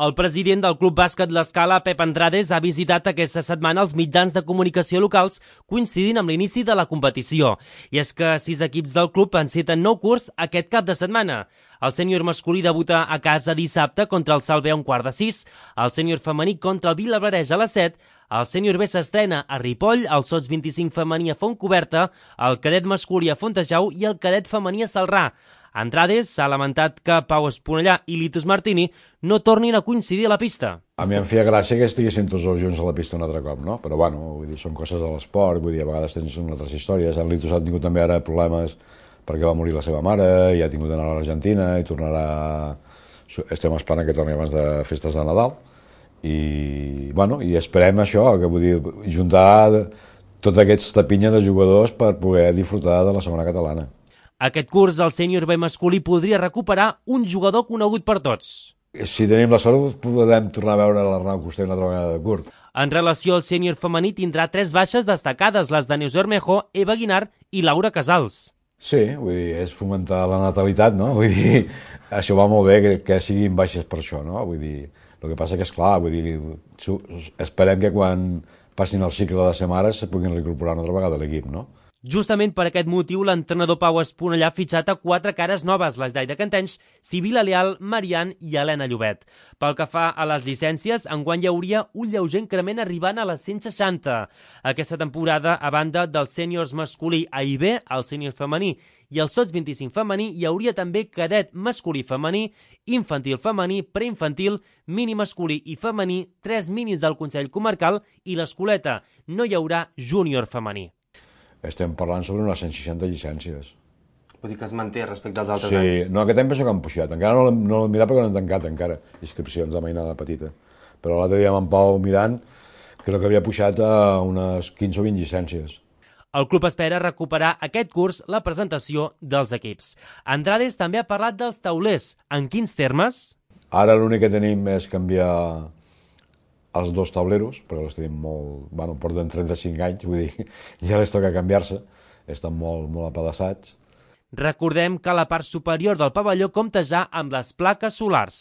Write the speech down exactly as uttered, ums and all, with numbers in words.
El president del Club Bàsquet L'Escala, Pep Andrades, ha visitat aquesta setmana els mitjans de comunicació locals coincidint amb l'inici de la competició. I és que sis equips del club enceten nou curs aquest cap de setmana. El sènior masculí debuta a casa dissabte contra el Salve a un quart de sis, el sènior femení contra el Vilablareix a les set, el sènior B s'estrena a Ripoll, el sots vint-i-cinc femení a Fontcoberta, el cadet masculí a Fontejau i el cadet femení a Celrà. Andrades s'ha lamentat que Pau Esponellà i Litus Martini no tornin a coincidir a la pista. A mi em feia gràcia que estiguessin tots els junts a la pista un altre cop, no? Però bueno, vull dir, són coses de l'esport, vull dir, a vegades tens unes altres històries. En Litus ha tingut també ara problemes perquè va morir la seva mare i ha tingut d'anar a l'Argentina i tornarà... Estem esperant que torni abans de festes de Nadal i, bueno, i esperem això, que vull dir, juntar tota aquesta pinya de jugadors per poder disfrutar de la segona catalana. Aquest curs, el sènior B masculí podria recuperar un jugador conegut per tots. Si tenim la sort, podem tornar a veure l'Arnau Coster una altra vegada de curt. En relació al sènior femení, tindrà tres baixes destacades, les de Neus Bermejo, Eva Guinar i Laura Casals. Sí, vull dir, és fomentar la natalitat, no? Vull dir, això va molt bé que, que siguin baixes per això, no? Vull dir, el que passa que és clar, vull dir, esperem que quan passin el cicle de ser mares se puguin reincorporar una altra vegada a l'equip, no? Justament per aquest motiu, l'entrenador Pau Esponellà ha fitxat a quatre cares noves, les d'Aida Cantenys, Sibila Leal, Marian i Helena Llobet. Pel que fa a les llicències, enguany hi hauria un lleuger increment arribant a les cent seixanta. Aquesta temporada, a banda dels sèniors masculí A i B, el sènior femení i el sots vint-i-cinc femení, hi hauria també cadet masculí femení, infantil femení, preinfantil, mini masculí i femení, tres minis del Consell Comarcal i l'Escoleta. No hi haurà júnior femení. Estem parlant sobre unes cent seixanta llicències. Vull dir que es manté respecte als altres sí, anys. Sí, no, aquest any penso que han pujat. Encara no l'hem no mirat perquè no han tancat encara inscripcions de mainada petita. Però l'altre dia amb en Pau mirant, crec que havia pujat a unes quinze o vint llicències. El club espera recuperar aquest curs la presentació dels equips. Andrades també ha parlat dels taulers. En quins termes? Ara l'únic que tenim és canviar els dos tauleros, perquè els tenim molt... Bueno, porten trenta-cinc anys, vull dir, ja les toca canviar-se, estan molt, molt apedaçats. Recordem que la part superior del pavelló compta ja amb les plaques solars.